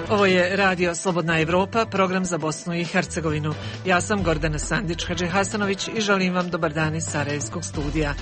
Ovo je Radio Slobodna Evropa, program za Bosnu i Hercegovinu. Ja sam Gordana Sandić-Hadžihasanović i želim vam dobar dan iz Sarajevskog studija.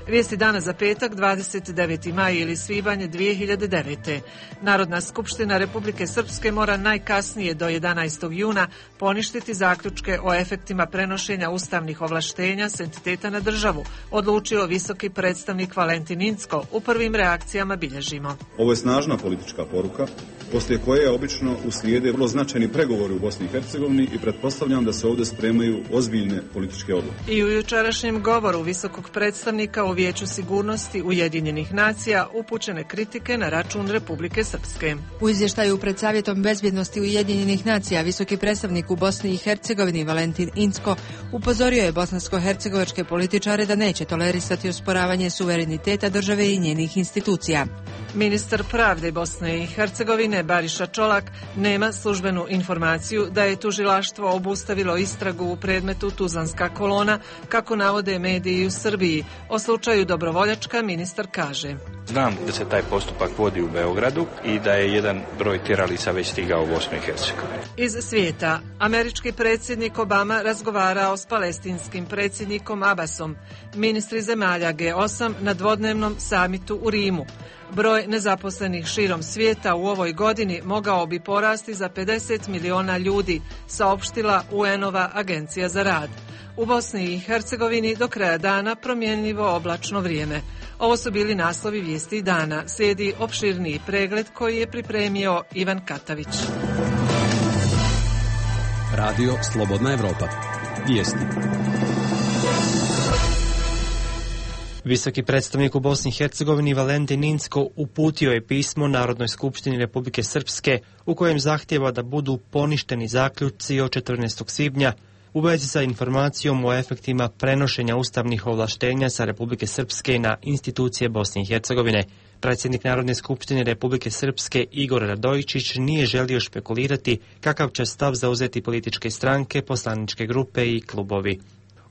Vijesti dana za petak, 29. maj ili svibanj 2009. Narodna skupština Republike Srpske mora najkasnije do 11. juna poništiti zaključke o efektima prenošenja ustavnih ovlaštenja s entiteta na državu, odlučio visoki predstavnik Valentin Incko. U prvim reakcijama bilježimo. Ovo je snažna politička poruka, poslije koje obično uslijede vrlo značajni pregovori u Bosni i Hercegovini i pretpostavljam da se ovdje spremaju ozbiljne političke odluke. I u jučerašnjem govoru visokog predstavnika u Vijeću sigurnosti Ujedinjenih nacija upućene kritike na račun Republike Srpske. U izvještaju pred Savjetom bezbjednosti Ujedinjenih nacija visoki predstavnik u Bosni i Hercegovini Valentin Incko upozorio je bosansko-hercegovačke političare da neće tolerisati osporavanje suvereniteta države i njenih institucija. Ministar pravde Bosne i Hercegovine Bariša Čolak nema službenu informaciju da je tužilaštvo obustavilo istragu u predmetu Tuzlanska kolona, kako navode mediji u Srbiji. O slučaju Dobrovoljačka ministar kaže: Znam da se taj postupak vodi u Beogradu i da je jedan broj tjeralica već stigao u Bosnu i Hercegovinu. Iz svijeta, američki predsjednik Obama razgovarao s palestinskim predsjednikom Abbasom, ministri zemalja G8 na dvodnevnom samitu u Rimu. Broj nezaposlenih širom svijeta u ovoj godini mogao bi porasti za 50 miliona ljudi, saopštila UN-ova agencija za rad. U Bosni i Hercegovini do kraja dana promjenljivo oblačno vrijeme. Ovo su bili naslovi vijesti dana. Slijedi opširniji pregled koji je pripremio Ivan Katavić. Radio Slobodna Evropa. Vijesti. Visoki predstavnik u Bosni i Hercegovini Valentin Incko uputio je pismo Narodnoj skupštini Republike Srpske u kojem zahtijeva da budu poništeni zaključci od 14. svibnja u vezi sa informacijom o efektima prenošenja ustavnih ovlaštenja sa Republike Srpske na institucije Bosne i Hercegovine. Predsjednik Narodne skupštine Republike Srpske Igor Radojičić nije želio špekulirati kakav će stav zauzeti političke stranke, poslaničke grupe i klubovi.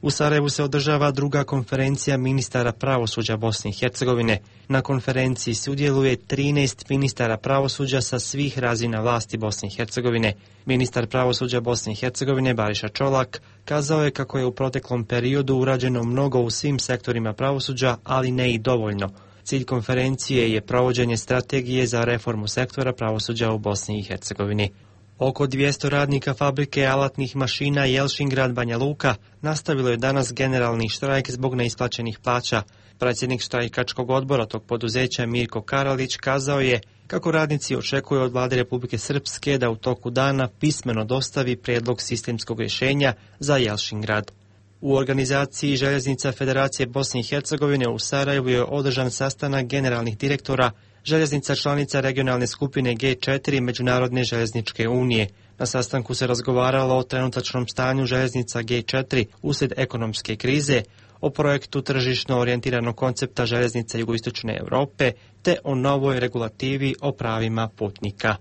U Sarajevu se održava druga konferencija ministara pravosuđa Bosne i Hercegovine. Na konferenciji sudjeluje 13 ministara pravosuđa sa svih razina vlasti Bosne i Hercegovine. Ministar pravosuđa Bosne i Hercegovine Bariša Čolak kazao je kako je u proteklom periodu urađeno mnogo u svim sektorima pravosuđa, ali ne i dovoljno. Cilj konferencije je provođenje strategije za reformu sektora pravosuđa u Bosni i Hercegovini. Oko 200 radnika fabrike alatnih mašina Jelšingrad Banja Luka nastavilo je danas generalni štrajk zbog neisplaćenih plaća. Predsjednik štrajkačkog odbora tog poduzeća Mirko Karalić kazao je kako radnici očekuju od vlade Republike Srpske da u toku dana pismeno dostavi prijedlog sistemskog rješenja za Jelšingrad. U organizaciji Željeznica Federacije Bosne i Hercegovine u Sarajevu je održan sastanak generalnih direktora željeznica članica regionalne skupine G4 Međunarodne željezničke unije. Na sastanku se razgovaralo o trenutačnom stanju željeznica G4 uslijed ekonomske krize, o projektu tržišno orijentiranog koncepta željeznica jugoistočne Europe te o novoj regulativi o pravima putnika.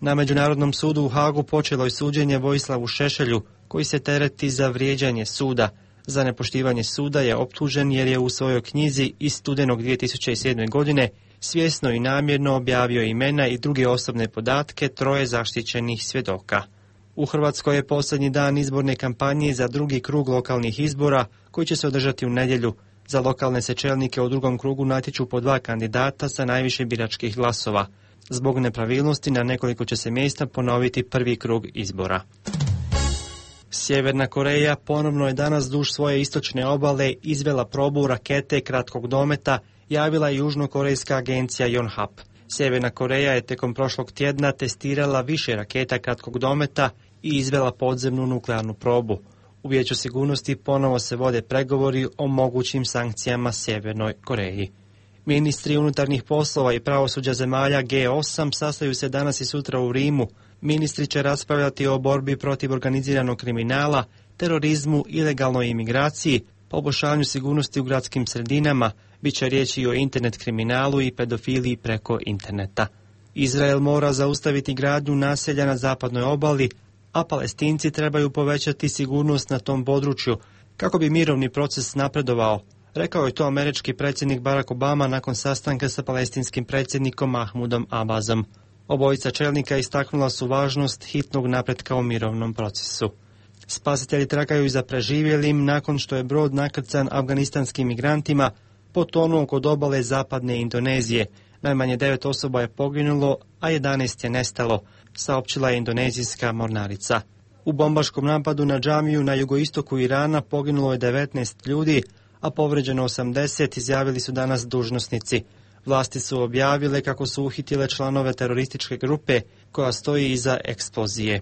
Na Međunarodnom sudu u Hagu počelo je suđenje Vojislavu Šešelju, koji se tereti za vrijeđanje suda. Za nepoštivanje suda je optužen jer je u svojoj knjizi iz studenog 2007. godine svjesno i namjerno objavio imena i druge osobne podatke troje zaštićenih svjedoka. U Hrvatskoj je posljednji dan izborne kampanje za drugi krug lokalnih izbora koji će se održati u nedjelju. Za lokalne se čelnike u drugom krugu natječu po 2 kandidata sa najviše biračkih glasova. Zbog nepravilnosti na nekoliko će se mjesta ponoviti prvi krug izbora. Sjeverna Koreja ponovno je danas duž svoje istočne obale izvela probu rakete kratkog dometa, javila je južnokorejska agencija Yonhap. Sjeverna Koreja je tijekom prošlog tjedna testirala više raketa kratkog dometa i izvela podzemnu nuklearnu probu. U Vijeću sigurnosti ponovo se vode pregovori o mogućim sankcijama Sjevernoj Koreji. Ministri unutarnjih poslova i pravosuđa zemalja G8 sastaju se danas i sutra u Rimu. Ministri će raspravljati o borbi protiv organiziranog kriminala, terorizmu, ilegalnoj imigraciji, poboljšanju sigurnosti u gradskim sredinama, bit će riječi i o internet kriminalu i pedofiliji preko interneta. Izrael mora zaustaviti gradnju naselja na zapadnoj obali, a Palestinci trebaju povećati sigurnost na tom području kako bi mirovni proces napredovao. Rekao je to američki predsjednik Barack Obama nakon sastanka sa palestinskim predsjednikom Mahmudom Abbasom. Obojica čelnika istaknula su važnost hitnog napretka u mirovnom procesu. Spasitelji tragaju za preživjelim nakon što je brod nakrcan afganistanskim migrantima potonuo kod obale zapadne Indonezije. Najmanje 9 osoba je poginulo, a 11 je nestalo, saopćila je indonezijska mornarica. U bombaškom napadu na džamiju na jugoistoku Irana poginulo je 19 ljudi, a povređeno 80, izjavili su danas dužnosnici. Vlasti su objavile kako su uhitile članove terorističke grupe koja stoji iza eksplozije.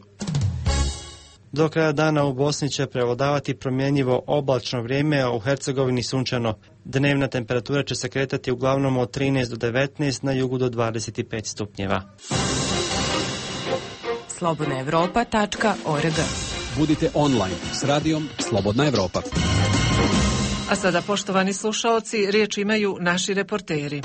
Do kraja dana u Bosni će prevladavati promjenjivo oblačno vrijeme, a u Hercegovini sunčano. Dnevna temperatura će se kretati uglavnom od 13 do 19, na jugu do 25 stupnjeva. slobodnaevropa.org. Budite online s radijom Slobodna Evropa. A sada, poštovani slušaoci, riječ imaju naši reporteri.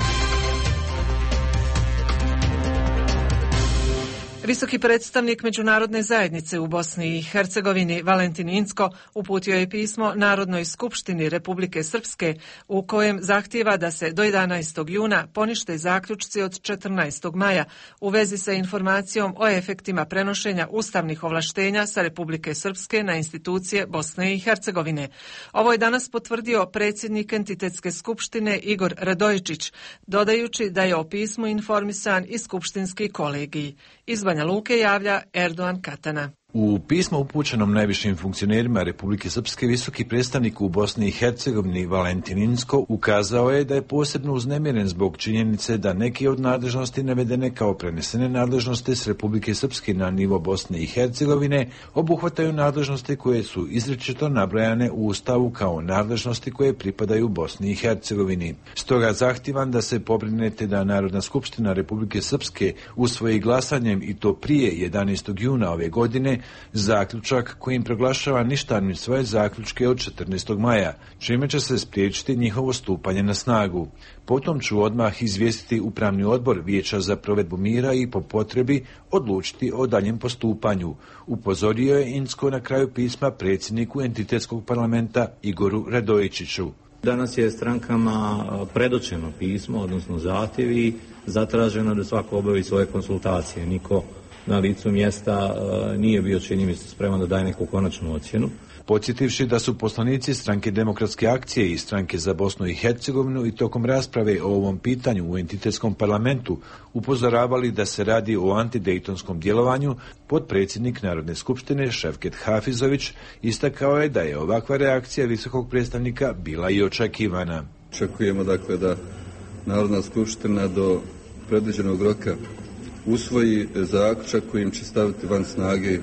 Visoki predstavnik međunarodne zajednice u Bosni i Hercegovini Valentin Incko uputio je pismo Narodnoj skupštini Republike Srpske u kojem zahtijeva da se do 11. juna ponište zaključci od 14. maja u vezi sa informacijom o efektima prenošenja ustavnih ovlaštenja sa Republike Srpske na institucije Bosne i Hercegovine. Ovo je danas potvrdio predsjednik Entitetske skupštine Igor Radojičić, dodajući da je o pismu informisan i skupštinski kolegij. Iz Banja Luke javlja Erdogan Katana. U pismu upućenom najvišim funkcionerima Republike Srpske visoki predstavnik u Bosni i Hercegovini Valentin Incko ukazao je da je posebno uznemiren zbog činjenice da neke od nadležnosti navedene kao prenesene nadležnosti s Republike Srpske na nivo Bosne i Hercegovine obuhvataju nadležnosti koje su izričito nabrojane u Ustavu kao nadležnosti koje pripadaju Bosni i Hercegovini. Stoga zahtijevam da se pobrinete da Narodna skupština Republike Srpske usvoji glasanjem, i to prije 11. juna ove godine, zaključak kojim proglašava ništavnim svoje zaključke od 14. maja, čime će se spriječiti njihovo stupanje na snagu. Potom ću odmah izvijestiti Upravni odbor Vijeća za provedbu mira i po potrebi odlučiti o daljem postupanju, upozorio je Incko na kraju pisma predsjedniku Entitetskog parlamenta Igoru Radojičiću. Danas je strankama predočeno pismo, odnosno zahtjevi, zatraženo da svako obavi svoje konsultacije. Niko na licu mjesta nije bio, čini mi se, spreman da daje neku konačnu ocjenu. Podsjetivši da su poslanici Stranke demokratske akcije i Stranke za Bosnu i Hercegovinu i tokom rasprave o ovom pitanju u Entitetskom parlamentu upozoravali da se radi o antidejtonskom djelovanju, potpredsjednik Narodne skupštine Ševket Hafizović istakao je da je ovakva reakcija visokog predstavnika bila i očekivana. Očekujemo dakle da Narodna skupština do predviđenog roka usvoji zaključak kojim će staviti van snage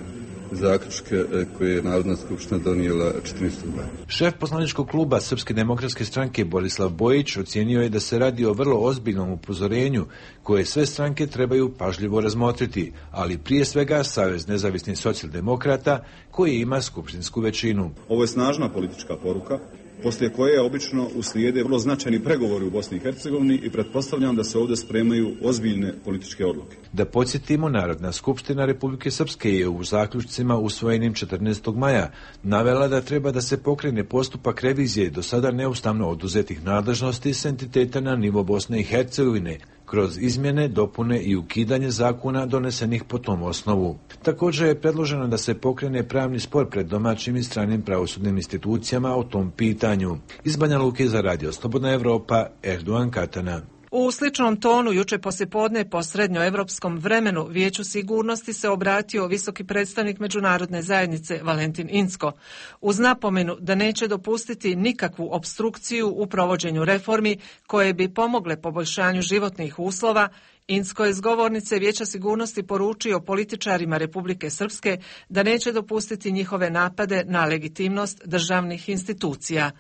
zaključke koje je Narodna skupština donijela 14. maja. Šef poslaničkog kluba Srpske demokratske stranke Borislav Bojić ocijenio je da se radi o vrlo ozbiljnom upozorenju koje sve stranke trebaju pažljivo razmotriti, ali prije svega Savez nezavisnih socijaldemokrata koji ima skupštinsku većinu. Ovo je snažna politička poruka, poslije koje obično uslijede vrlo značajni pregovori u Bosni i Hercegovini i pretpostavljam da se ovdje spremaju ozbiljne političke odluke. Da podsjetimo, Narodna skupština Republike Srpske je u zaključcima usvojenim 14. maja navela da treba da se pokrene postupak revizije do sada neustavno oduzetih nadležnosti s entiteta na nivo Bosne i Hercegovine, kroz izmjene, dopune i ukidanje zakona donesenih po tom osnovu. Također je predloženo da se pokrene pravni spor pred domaćim i stranim pravosudnim institucijama o tom pitanju. Iz Banja Luke za radio Slobodna Evropa, Erdogan Katana. U sličnom tonu juče poslijepodne po srednjoevropskom vremenu Vijeću sigurnosti se obratio visoki predstavnik međunarodne zajednice Valentin Incko uz napomenu da neće dopustiti nikakvu opstrukciju u provođenju reformi koje bi pomogle poboljšanju životnih uslova. Incko je s govornice Vijeća sigurnosti poručio političarima Republike Srpske da neće dopustiti njihove napade na legitimnost državnih institucija.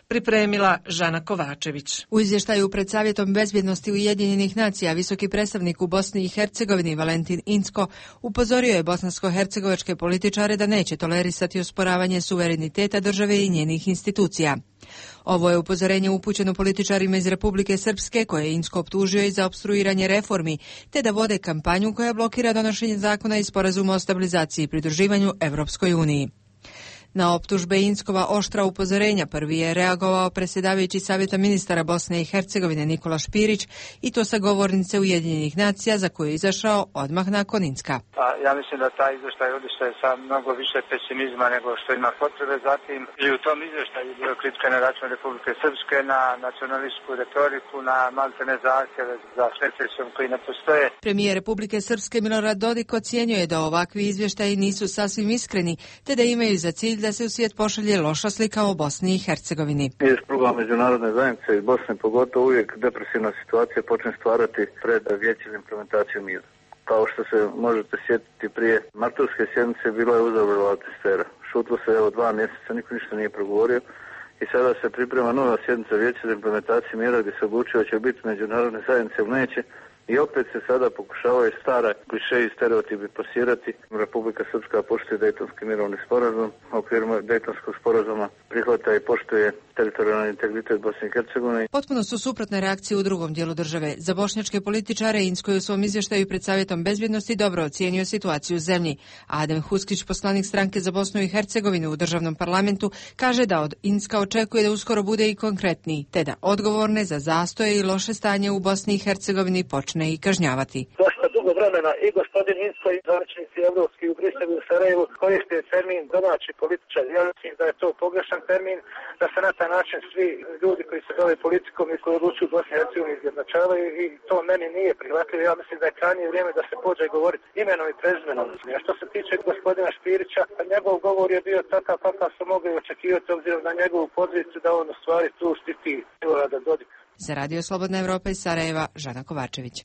Pripremila Žana Kovačević. U izvještaju pred Savjetom bezbjednosti Ujedinjenih nacija visoki predstavnik u Bosni i Hercegovini Valentin Incko upozorio je bosansko-hercegovačke političare da neće tolerisati osporavanje suvereniteta države i njenih institucija. Ovo je upozorenje upućeno političarima iz Republike Srpske koje je Incko optužio i za opstruiranje reformi, te da vode kampanju koja blokira donošenje zakona i sporazuma o stabilizaciji i pridruživanju Evropskoj uniji. Na optužbe Inckova oštra upozorenja prvi je reagovao predsjedavajući Savjeta ministara Bosne i Hercegovine Nikola Špirić i to sa govornice Ujedinjenih nacija za koju je izašao odmah nakon Incka. Ja mislim da taj izvještaj odišao sa mnogo više pesimizma nego što ima potrebe. Zatim i u tom izvještaju je bilo kritika na račun Republike Srpske, na nacionalističku retoriku, na maltene zahtjeve za secesijom koji ne postoje. Premijer Republike Srpske Milorad Dodik ocjenjuje da ovakvi izvještaji nisu sasvim iskreni, te da imaju za cilj da se u svijet pošalje loša slika o Bosni i Hercegovini. Iz kruga međunarodne zajednice i Bosne pogotovo uvijek depresivna situacija počne stvarati pred vijeće za implementaciju mira. Kao što se možete sjetiti prije martovske sjednice bila je uzavrela atmosfera. Šutilo se 2 mjeseca, niko ništa nije progovorio i sada se priprema nova sjednica vijeća za implementaciju mira gdje se odlučuje će biti međunarodne zajednice ili neće. I opet se sada pokušavaju stare kliše i stereotipi plasirati. Republika Srpska poštuje Dejtonski mirovni sporazum, u okviru Dejtonskog sporazuma prihvata i poštuje teritorijalni integritet Bosne i Hercegovine. Potpuno su suprotne reakcije u drugom dijelu države. Za bošnjačke političare Incko je u svom izvještaju pred Savjetom bezbjednosti dobro ocijenio situaciju u zemlji. Adem Huskić, poslanik stranke za Bosnu i Hercegovinu u državnom parlamentu, kaže da od Incka očekuje da uskoro bude i konkretniji, te da odgovorne za zastoje i loše stanje u Bosni i Hercegovini počne i kažnjavati. Dosta dugo vremena i gospodin Incko i zvaničnici evropski u Briselu i Sarajevu koriste termin domaći političar. Ja mislim da je to pogrešan termin, da se na taj način svi ljudi koji se bave politikom i koji odlučuju u Bosni i Hercegovini izjednačavaju i to meni nije prihvatljivo. Ja mislim da je krajnje vrijeme da se pođe govoriti imenom i prezimenom. A što se tiče gospodina Špirića, njegov govor je bio takav kakav su mogli očekivati obzirom na njegovu poziciju da on u stvari tu štiti Milorada Dodika. Za Radio Slobodna Evropa iz Sarajeva, Žana Kovačević.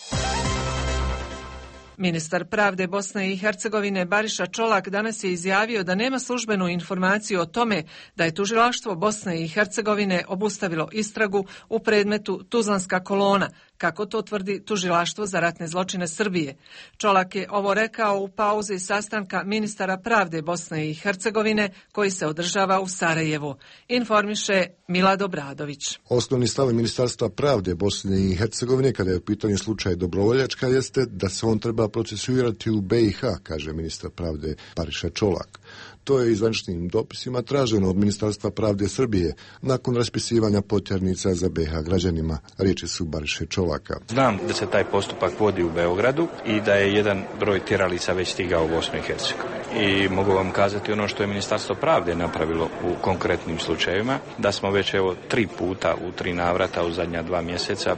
Ministar pravde Bosne i Hercegovine Bariša Čolak danas je izjavio da nema službenu informaciju o tome da je tužilaštvo Bosne i Hercegovine obustavilo istragu u predmetu Tuzlanska kolona, kako to tvrdi Tužilaštvo za ratne zločine Srbije. Čolak je ovo rekao u pauzi sastanka ministara pravde Bosne i Hercegovine koji se održava u Sarajevu. Informiše Milad Obradović. Osnovni stav Ministarstva pravde Bosne i Hercegovine kada je u pitanju slučaj Dobrovoljačka jeste da se on treba procesuirati u BiH, kaže ministar pravde Bariša Čolak. To je zvaničnim dopisima traženo od Ministarstva pravde Srbije nakon raspisivanja potjernica za BiH građanima. Riječi su Bariše Čolaka. Znam da se taj postupak vodi u Beogradu i da je jedan broj tjeralica već stigao u Bosnu i Hercegovinu. I mogu vam kazati ono što je Ministarstvo pravde napravilo u konkretnim slučajevima, da smo već 3 puta u 3 navrata u zadnja 2 mjeseca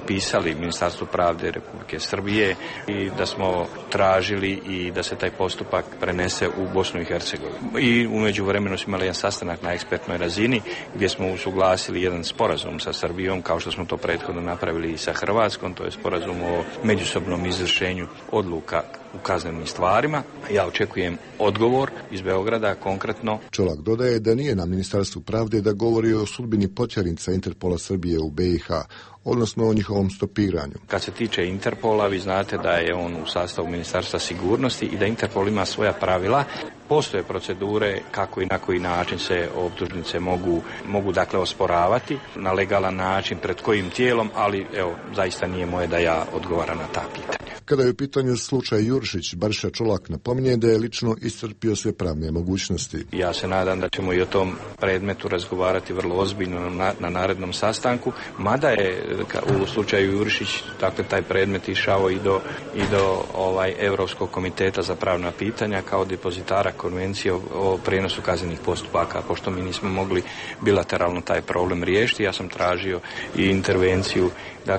pisali Ministarstvu pravde Republike Srbije i da smo tražili i da se taj postupak prenese u Bosnu i Hercegovinu. I u međuvremenu smo imali jedan sastanak na ekspertnoj razini gdje smo usuglasili jedan sporazum sa Srbijom, kao što smo to prethodno napravili i sa Hrvatskom, to je sporazum o međusobnom izvršenju odluka u kaznenim stvarima. Ja očekujem odgovor iz Beograda konkretno. Čolak dodaje da nije na Ministarstvu pravde da govori o sudbini potjernica Interpola Srbije u BiH, odnosno o njihovom stopiranju. Kad se tiče Interpola, vi znate da je on u sastavu Ministarstva sigurnosti i da Interpol ima svoja pravila. Postoje procedure kako i na koji način se optužnice mogu dakle osporavati na legalan način, pred kojim tijelom, ali zaista nije moje da ja odgovaram na ta pitanja. Kada je u pitanju slučaj Jurišić, Bariša Čolak napominje da je lično iscrpio sve pravne mogućnosti. Ja se nadam da ćemo i o tom predmetu razgovarati vrlo ozbiljno na narednom sastanku, mada je u slučaju Jurišić, dakle taj predmet išao i do Europskog komiteta za pravna pitanja kao depozitara konvencije o prijenosu kaznenih postupaka, pošto mi nismo mogli bilateralno taj problem riješiti. Ja sam tražio i intervenciju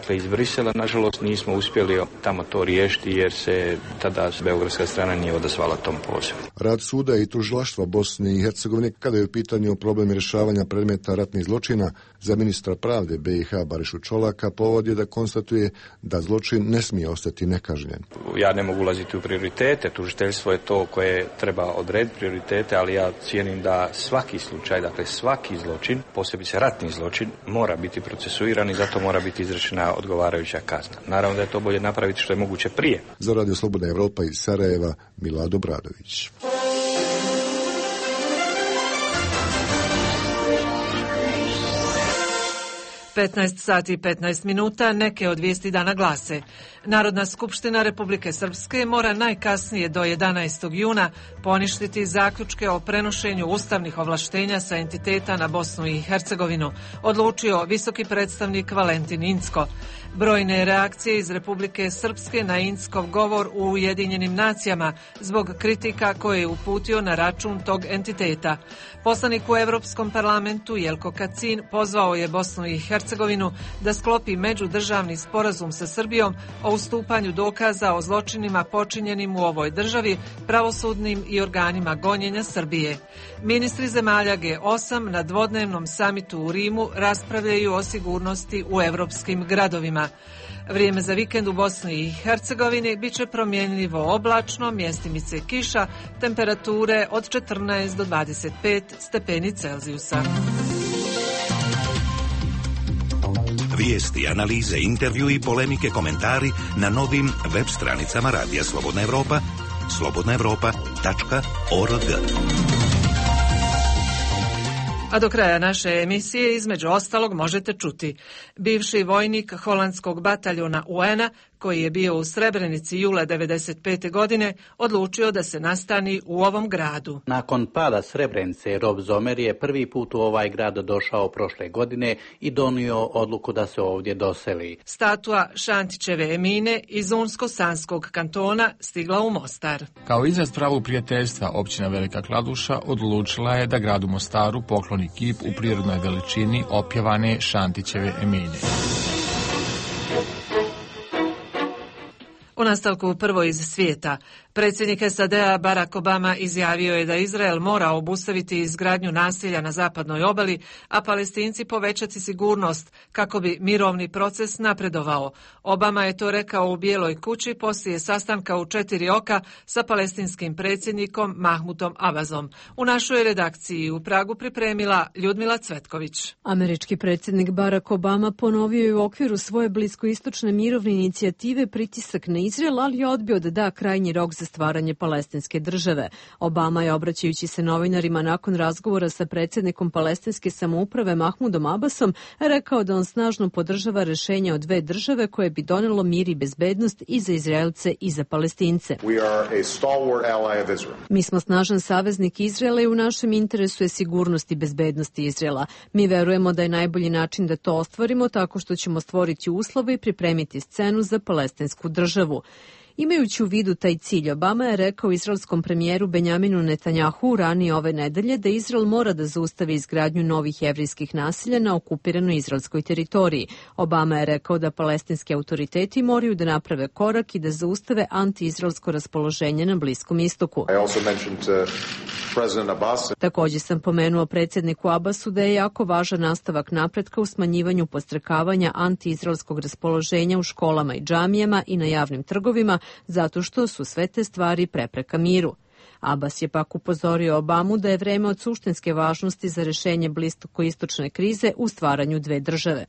iz Brisela. Nažalost nismo uspjeli tamo to riješiti jer se tada beogradska strana nije odazvala tom pozivu. Rad suda i tužilaštva Bosne i Hercegovine kada je u pitanju problem rješavanja predmeta ratnih zločina za ministra pravde BiH Barišu Čolaka povod je da konstatuje da zločin ne smije ostati nekažnjen. Ja ne mogu ulaziti u prioritete, tužiteljstvo je to koje treba odrediti prioritete, ali ja cijenim da svaki slučaj, svaki zločin, posebice ratni zločin, mora biti procesuiran i zato mora biti izrečena odgovarajuća kazna. Naravno da je to bolje napraviti što je moguće prije. Za Radio Slobodna Evropa iz Sarajeva, Milad Obradović. (15 sati i 15 minuta), neke od vijesti dana glase. Narodna skupština Republike Srpske mora najkasnije do 11. juna poništiti zaključke o prenošenju ustavnih ovlaštenja sa entiteta na Bosnu i Hercegovinu, odlučio visoki predstavnik Valentin Incko. Brojne reakcije iz Republike Srpske na Inckov govor u Ujedinjenim nacijama zbog kritika koje je uputio na račun tog entiteta. Poslanik u Europskom parlamentu Jelko Kacin pozvao je Bosnu i Hercegovinu da sklopi međudržavni sporazum sa Srbijom o ustupanju dokaza o zločinima počinjenim u ovoj državi pravosudnim i organima gonjenja Srbije. Ministri zemalja G8 na dvodnevnom samitu u Rimu raspravljaju o sigurnosti u evropskim gradovima. Vrijeme za vikend u Bosni i Hercegovini bit će promjenljivo oblačno, mjestimice kiša, temperature od 14 do 25 stepeni Celzijusa. Vijesti, analize, intervju i polemike, komentari na novim web stranicama Radija Slobodna Evropa, slobodnaevropa.org. A do kraja naše emisije između ostalog možete čuti: bivši vojnik holandskog bataljona UN-a koji je bio u Srebrenici jula 1995. godine odlučio da se nastani u ovom gradu. Nakon pada Srebrenice, Rob Zomer je prvi put u ovaj grad došao prošle godine i donio odluku da se ovdje doseli. Statua Šantićeve Emine iz Unsko-Sanskog kantona stigla u Mostar. Kao izraz pravog prijateljstva, općina Velika Kladuša odlučila je da gradu Mostaru pokloni kip u prirodnoj veličini opjevane Šantićeve Emine. U nastavku prvo iz svijeta. Predsjednik SAD-a Barack Obama izjavio je da Izrael mora obustaviti izgradnju naselja na zapadnoj obali, a Palestinci povećati sigurnost kako bi mirovni proces napredovao. Obama je to rekao u Bijeloj kući poslije sastanka u 4 oka sa palestinskim predsjednikom Mahmudom Abbasom. U našoj redakciji u Pragu pripremila Ljudmila Cvetković. Američki predsjednik Barack Obama ponovio je u okviru svoje bliskoistočne mirovne inicijative pritisak na Izrael, ali je odbio da da krajnji rok za stvaranje palestinske države. Obama je, obraćajući se novinarima nakon razgovora sa predsjednikom palestinske samouprave Mahmudom Abbasom, rekao da on snažno podržava rješenje o 2 države koje bi donelo mir i bezbednost i za Izraelce i za Palestince. Mi smo snažan saveznik Izraela i u našem interesu je sigurnost i bezbednost Izraela. Mi verujemo da je najbolji način da to ostvarimo tako što ćemo stvoriti uslove i pripremiti scenu za palestinsku državu. Imajući u vidu taj cilj, Obama je rekao izraelskom premijeru Benjaminu Netanjahu ranije ove nedelje da Izrael mora da zaustavi izgradnju novih jevrijskih naselja na okupiranoj izraelskoj teritoriji. Obama je rekao da palestinski autoriteti moraju da naprave korak i da zaustave anti-izraelsko raspoloženje na Bliskom istoku. Također sam pomenuo predsjedniku Abbasu da je jako važan nastavak napretka u smanjivanju podstrekavanja anti-izraelskog raspoloženja u školama i džamijama i na javnim trgovima, zato što su sve te stvari prepreka miru. Abbas je pak upozorio Obamu da je vreme od suštinske važnosti za rješenje bliskoistočne krize u stvaranju 2 države.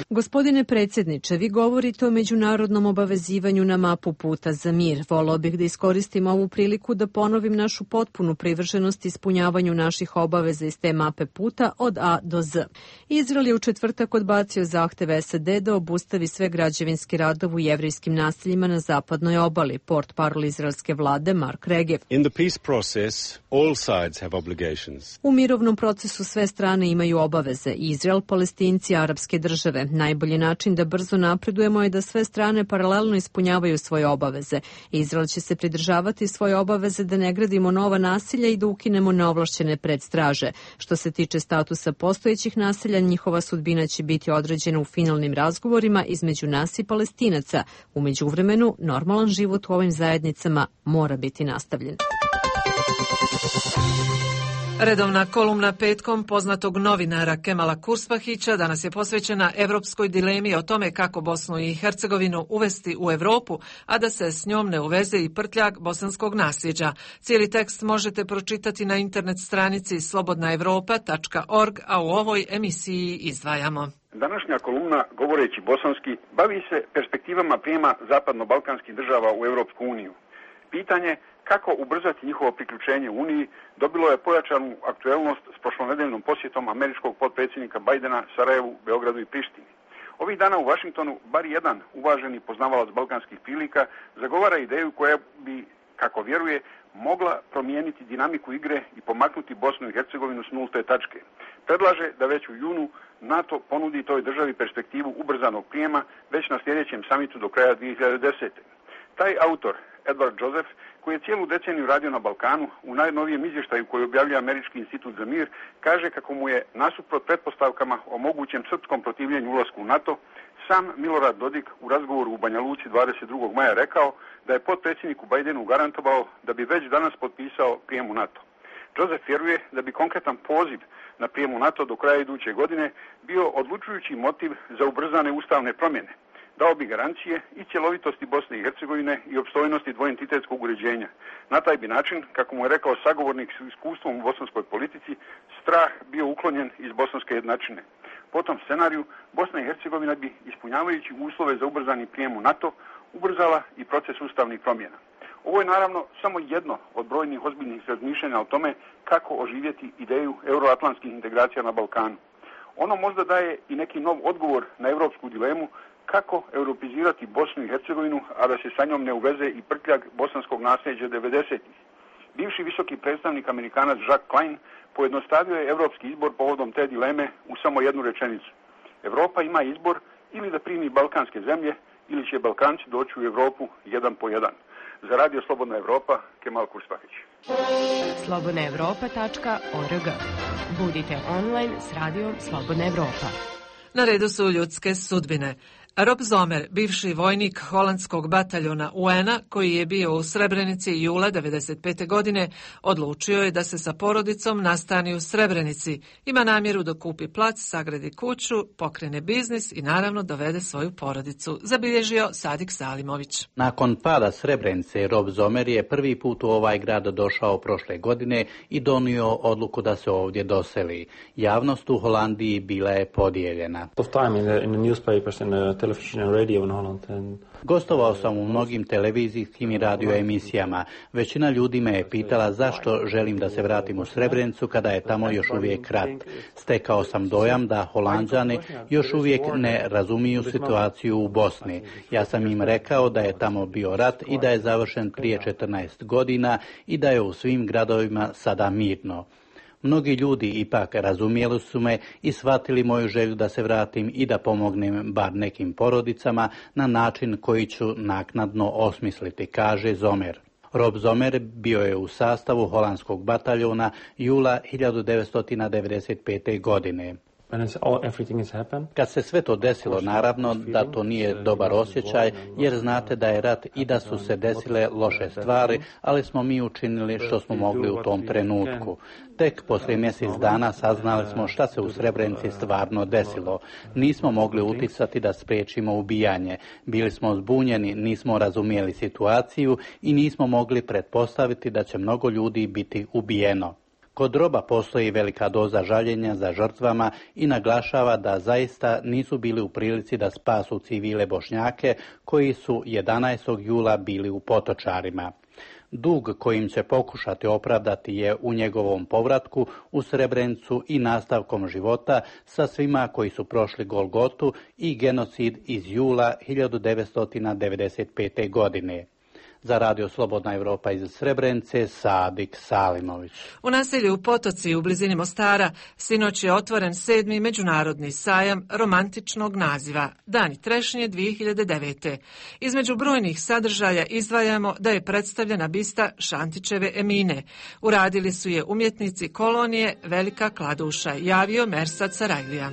Gospodine predsjedniče, vi govorite o međunarodnom obavezivanju na mapu puta za mir. Volao bih da iskoristim ovu priliku da ponovim našu potpunu privrženost ispunjavanju naših obaveza iz te mape puta od A do Z. Izrael je u četvrtak odbacio zahteve SAD da obustavi sve građevinske radove u jevrijskim naseljima na zapadnoj obali, portparol izraelske vlade Mark Regev. U mirovnom procesu sve strane imaju obaveze, Izrael, Palestinci i arapske države. Najbolji način da brzo napredujemo je da sve strane paralelno ispunjavaju svoje obaveze. Izrael će se pridržavati svoje obaveze da ne gradimo nova naselja i da ukinemo neovlašćene predstraže. Što se tiče statusa postojećih naselja, njihova sudbina će biti određena u finalnim razgovorima između nas i Palestinaca. U međuvremenu, normalan život u ovim zajednicama mora biti nastavljen. Redovna kolumna petkom poznatog novinara Kemala Kurspahića danas je posvećena evropskoj dilemi o tome kako Bosnu i Hercegovinu uvesti u Europu, a da se s njom ne uveze i prtljag bosanskog nasljeđa. Cijeli tekst možete pročitati na internet stranici slobodnaevropa.org, a u ovoj emisiji izdvajamo. Današnja kolumna, govoreći bosanski, bavi se perspektivama prijema zapadno-balkanskih država u Europsku uniju. Pitanje kako ubrzati njihovo priključenje u Uniji dobilo je pojačanu aktuelnost s prošlonedeljnom posjetom američkog potpredsjednika Bajdena Sarajevu, Beogradu i Prištini. Ovih dana u Vašingtonu bar jedan uvaženi poznavalac balkanskih prilika zagovara ideju koja bi, kako vjeruje, mogla promijeniti dinamiku igre i pomaknuti Bosnu i Hercegovinu s nulte tačke. Predlaže da već u junu NATO ponudi toj državi perspektivu ubrzanog prijema već na sljedećem samitu do kraja 2010. Taj autor, Edward Joseph, koji je cijelu deceniju radio na Balkanu, u najnovijem izvještaju koji objavlja Američki institut za mir, kaže kako mu je, nasuprot pretpostavkama o mogućem srpskom protivljenju ulasku u NATO, sam Milorad Dodik u razgovoru u Banja Luci 22. maja rekao da je potpredsjedniku Bajdenu garantovao da bi već danas potpisao prijem u NATO. Joseph vjeruje da bi konkretan poziv na prijem u NATO do kraja iduće godine bio odlučujući motiv za ubrzane ustavne promjene. Dao bi garancije i cjelovitosti Bosne i Hercegovine i opstojnosti dvoentitetskog uređenja. Na taj bi način, kako mu je rekao sagovornik s iskustvom u bosanskoj politici, strah bio uklonjen iz bosanske jednačine. Po tom scenariju Bosna i Hercegovina bi, ispunjavajući uslove za ubrzani prijem u NATO, ubrzala i proces ustavnih promjena. Ovo je naravno samo jedno od brojnih ozbiljnih razmišljanja o tome kako oživjeti ideju euroatlantskih integracija na Balkanu. Ono možda daje i neki nov odgovor na europsku dilemu kako europizirati Bosnu i Hercegovinu, a da se sa njom ne uveze i prtljag bosanskog nasljeđa 90-ih. Bivši visoki predstavnik Amerikanac Jacques Klein pojednostavio je europski izbor povodom te dileme u samo jednu rečenicu. Europa ima izbor ili da primi balkanske zemlje, ili će Balkanci doći u Europu jedan po jedan. Za Radio Slobodna Evropa, Kemal Kurspahić. slobodnaevropa.org. Budite online s Radijom Slobodna Evropa. Na redu su ljudske sudbine. Rob Zomer, bivši vojnik holandskog bataljona UN-a koji je bio u Srebrenici jula 1995. godine, odlučio je da se sa porodicom nastani u Srebrenici. Ima namjeru da kupi plac, sagradi kuću, pokrene biznis i naravno dovede svoju porodicu, zabilježio Sadik Salimović. Nakon pada Srebrenice, Rob Zomer je prvi put u ovaj grad došao prošle godine i donio odluku da se ovdje doseli. Javnost u Holandiji bila je podijeljena. Gostovao sam u mnogim televizijskim i radio emisijama. Većina ljudi me je pitala zašto želim da se vratim u Srebrenicu kada je tamo još uvijek rat. Stekao sam dojam da Holanđani još uvijek ne razumiju situaciju u Bosni. Ja sam im rekao da je tamo bio rat i da je završen prije 14 godina i da je u svim gradovima sada mirno. Mnogi ljudi ipak razumjeli su me i shvatili moju želju da se vratim i da pomognem bar nekim porodicama na način koji ću naknadno osmisliti, kaže Zomer. Rob Zomer bio je u sastavu holandskog bataljona jula 1995. godine. Kad se sve to desilo, naravno da to nije dobar osjećaj, jer znate da je rat i da su se desile loše stvari, ali smo mi učinili što smo mogli u tom trenutku. Tek poslije mjesec dana saznali smo šta se u Srebrenici stvarno desilo. Nismo mogli utjecati da spriječimo ubijanje. Bili smo zbunjeni, nismo razumjeli situaciju i nismo mogli pretpostaviti da će mnogo ljudi biti ubijeno. Kod Roba postoji velika doza žaljenja za žrtvama i naglašava da zaista nisu bili u prilici da spasu civile Bošnjake koji su 11. jula bili u Potočarima. Dug kojim će pokušati opravdati je u njegovom povratku u Srebrenicu i nastavkom života sa svima koji su prošli Golgotu i genocid iz jula 1995. godine. Za Radio Slobodna Evropa iz Srebrenice, Sadik Salimović. U naselju Potoci u blizini Mostara sinoć je otvoren 7. međunarodni sajam romantičnog naziva Dani trešnje 2009. Između brojnih sadržaja izdvajamo da je predstavljena bista Šantićeve Emine. Uradili su je umjetnici kolonije Velika Kladuša, javio Mersad Sarajlija.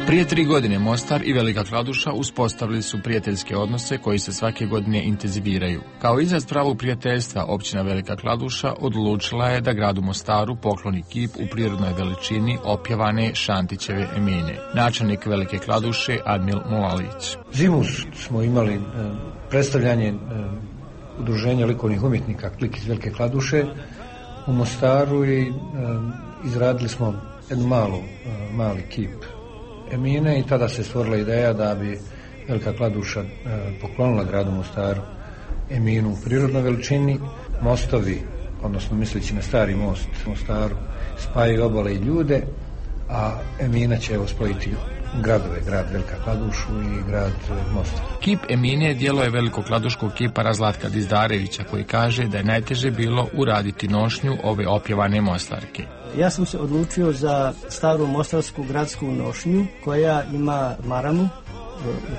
Prije 3 godine Mostar i Velika Kladuša uspostavili su prijateljske odnose koji se svake godine intenziviraju. Kao izraz pravog prijateljstva, općina Velika Kladuša odlučila je da gradu Mostaru pokloni kip u prirodnoj veličini opjevane Šantićeve Emine. Načelnik Velike Kladuše Admil Mulalić. Zimus smo imali predstavljanje udruženja likovnih umjetnika Klik iz Velike Kladuše u Mostaru i izradili smo jednu mali kip Emine i tada se stvorila ideja da bi Velika Kladuša poklonila gradu Mostaru Eminu u prirodnoj veličini. Mostovi, odnosno misleći na stari most u Mostaru, spajaju obale i ljude, a Emina će spojiti gradove, grad Velika Kladušu i grad Mostar. Kip Emine djelo je velikokladuškog kipara Zlatka Dizdarevića, koji kaže da je najteže bilo uraditi nošnju ove opjevane mostarke. Ja sam se odlučio za staru mostarsku gradsku nošnju koja ima maramu,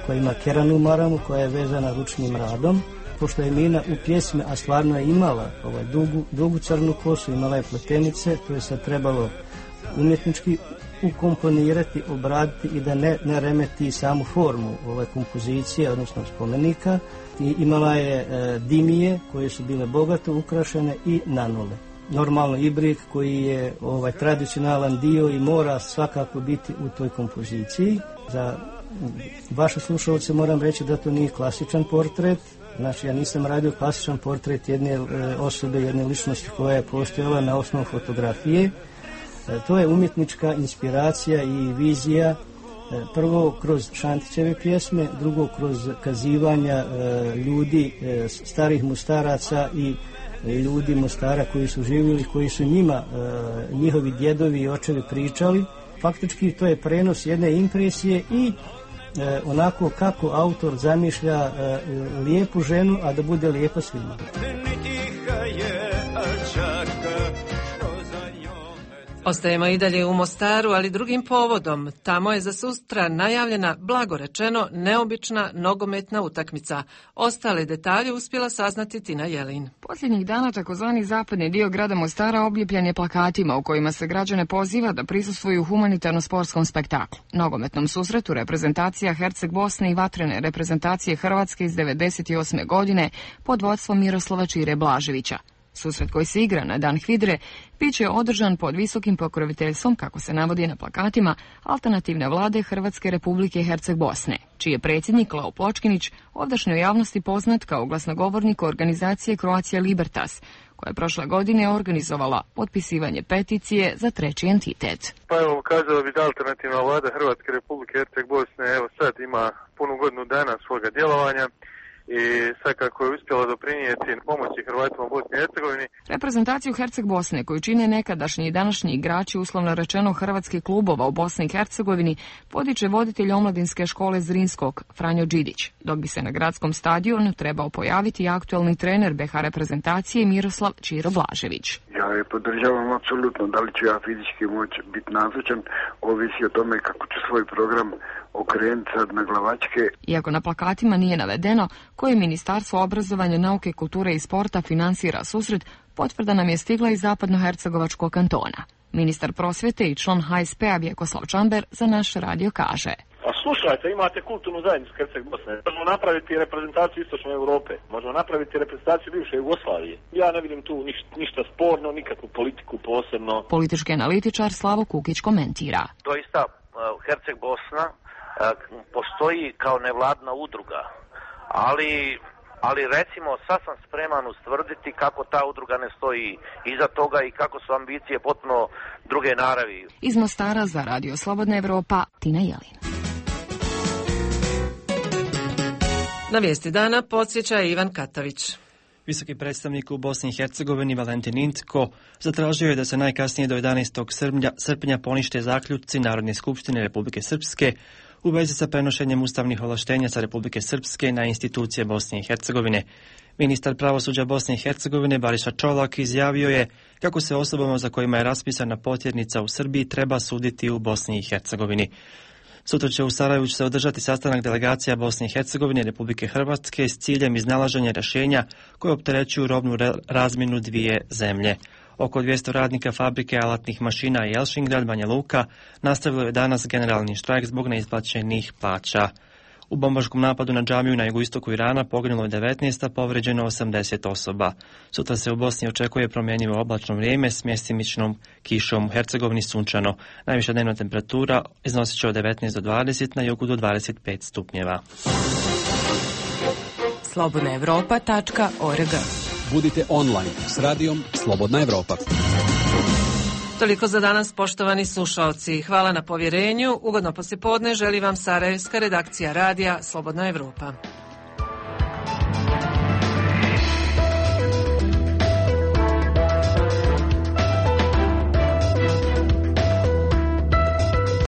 koja ima keranu maramu, koja je vezana ručnim radom. Pošto je Emina u pjesme, a stvarno je imala dugu crnu kosu, imala je pletenice, to je sad trebalo umjetnički ukomponirati, obraditi i da ne remeti samu formu kompozicije, odnosno spomenika. I imala je dimije koje su bile bogato ukrašene i nanole. Normalno ibrik koji je tradicionalan dio i mora svakako biti u toj kompoziciji. Za vaše slušalce moram reći da to nije klasičan portret. Znači, ja nisam radio klasičan portret jedne osobe, jedne ličnosti koja je postojala na osnovu fotografije. To je umjetnička inspiracija i vizija, prvo kroz Šantićeve pjesme, drugo kroz kazivanja ljudi, starih Mostaraca i ljudi Mostara koji su živjeli, koji su njima, njihovi djedovi i očevi pričali. Faktički to je prenos jedne impresije i onako kako autor zamišlja lijepu ženu, a da bude lijepa svima. Ostajemo i dalje u Mostaru, ali drugim povodom. Tamo je za sutra najavljena, blago rečeno, neobična nogometna utakmica. Ostale detalje uspjela saznati Tina Jelin. Posljednjih dana takozvani zapadni dio grada Mostara obljepljen je plakatima u kojima se građane poziva da prisustvuju humanitarno-sportskom spektaklu. Nogometnom susretu reprezentacija Herceg Bosne i vatrene reprezentacije Hrvatske iz 1998. godine pod vodstvom Miroslava Čire Blaževića. Susret koji se igra na Dan HVIDRE bit će održan pod visokim pokroviteljstvom, kako se navodi na plakatima, alternativne vlade Hrvatske Republike Herceg Bosne, čiji je predsjednik Leo Pločkinić ovdašnjoj javnosti poznat kao glasnogovornik organizacije Croatia Libertas, koja je prošle godine organizovala potpisivanje peticije za treći entitet. Pa evo, kazao bi da alternativna vlada Hrvatske Republike Herceg Bosne sad ima punu godinu dana svoga djelovanja i svakako je uspjela doprinijeti pomoći Hrvatima u Bosni i Hercegovini. Reprezentaciju Herceg Bosne, koju čine nekadašnji i današnji igrači uslovno rečeno hrvatskih klubova u Bosni i Hercegovini, podiče voditelj omladinske škole Zrinskog, Franjo Đidić, dok bi se na gradskom stadionu trebao pojaviti aktualni trener BiH reprezentacije Miroslav Čiro Blažević. Ja je podržavam apsolutno, da li ću ja fizički moći biti nazočan, ovisi o tome kako ću svoj program okrenuti sad na glavačke. Iako na plakatima nije navedeno koje Ministarstvo obrazovanja, nauke, kulture i sporta finansira susret, potvrda nam je stigla iz zapadnohercegovačkog kantona. Ministar prosvjete i član HSP-a Vjekoslav Čamber za naš radio kaže: A slušajte, imate kulturnu zajednicu Herceg Bosne. Možemo napraviti reprezentaciju Istočne Europe. Možemo napraviti reprezentaciju bivše Jugoslavije. Ja ne vidim tu ništa sporno, nikakvu politiku posebno. Politički analitičar Slavo Kukić komentira: Doista Herceg Bosna postoji kao nevladna udruga, ali recimo sad sam spreman ustvrditi kako ta udruga ne stoji iza toga i kako su ambicije potpuno druge naravi. Iz Mostara za Radio Slobodna Evropa, Tina Jelin. Na vijesti dana podsjeća Ivan Katavić. Visoki predstavnik u Bosni i Hercegovini Valentin Incko zatražio je da se najkasnije do 11. srpnja ponište zaključci Narodne skupštine Republike Srpske u vezi sa prenošenjem ustavnih ovlaštenja sa Republike Srpske na institucije Bosne i Hercegovine. Ministar pravosuđa Bosne i Hercegovine Bariša Čolak izjavio je kako se osobama za kojima je raspisana potjernica u Srbiji treba suditi u Bosni i Hercegovini. Sutra će u Sarajevu se održati sastanak delegacija Bosne i Hercegovine i Republike Hrvatske s ciljem iznalaženja rješenja koje opterećuju robnu razmjenu dvije zemlje. Oko 200 radnika fabrike alatnih mašina i Elšingrad, Banja Luka, nastavilo je danas generalni štrajk zbog neisplaćenih plaća. U bombaškom napadu na džamiju na jugoistoku Irana poginulo je 19, a povređeno 80 osoba. Sutra se u Bosni očekuje promjenjivo oblačno vrijeme s mjestimičnom kišom, u Hercegovini sunčano. Najviša dnevna temperatura iznosit će od 19 do 20, na jugu do 25 stupnjeva. slobodnaevropa.org. Budite online s radijom Slobodna Evropa. Toliko za danas, poštovani slušaoci. Hvala na povjerenju. Ugodno poslijepodne želi vam sarajevska redakcija radija Slobodna Evropa.